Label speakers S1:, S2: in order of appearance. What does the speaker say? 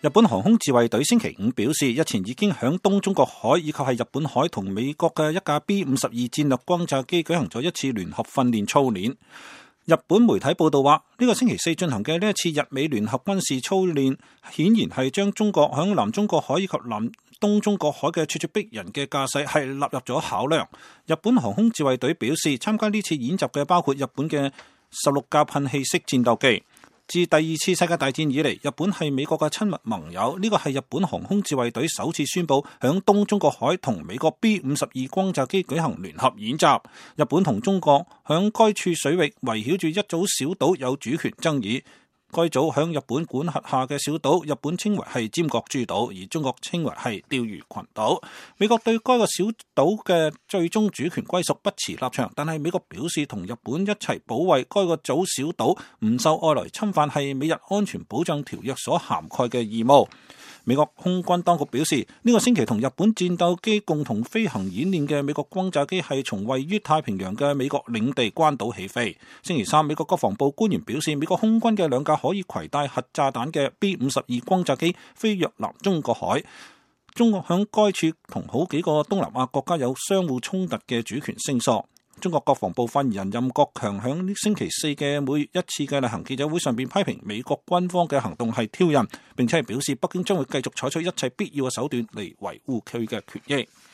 S1: 日本航空自衛隊星期五表示，日前已經響東中國海以及係日本海同美國嘅一架 B-52戰略轟炸機舉行咗一次聯合訓練操練。日本媒體報道話，呢個星期四進行嘅呢一次日美聯合軍事操練，顯然係將中國響南中國海以及南東中國海嘅咄咄逼人嘅架勢係納入咗考量。日本航空自衛隊表示，參加呢次演習嘅包括日本嘅16架噴氣式戰鬥機。自第二次世界大戰以嚟，日本係美國嘅親密盟友。呢個係日本航空自衛隊首次宣布響東中國海同美國 B-52轟炸機舉行聯合演習。日本同中國響該處水域圍繞住一組小島有主權爭議。該組響日本管轄下嘅小島，日本稱為係尖閣諸島，而中國稱為係釣魚群島。美國對該個小島嘅最終主權歸屬不持立場，但係美國表示同日本一齊保衛該個組小島唔受外來侵犯係美日安全保障條約所涵蓋嘅義務。美國空軍當局表示，呢個星期同日本戰鬥機共同飛行演練嘅美國轟炸機係從位於太平洋嘅美國領地關島起飛。星期三，美國國防部官員表示，美國空軍嘅兩架可以攜帶核炸彈嘅 B-52轟炸機飛越南中國海。中國響該處同好幾個東南亞國家有相互衝突嘅主權聲索。中國國防部發言人任國強響星期四嘅每月一次嘅例行記者會上邊批評美國軍方嘅行動係挑釁，並且係表示北京將會繼續採取一切必要嘅手段嚟維護佢嘅權益。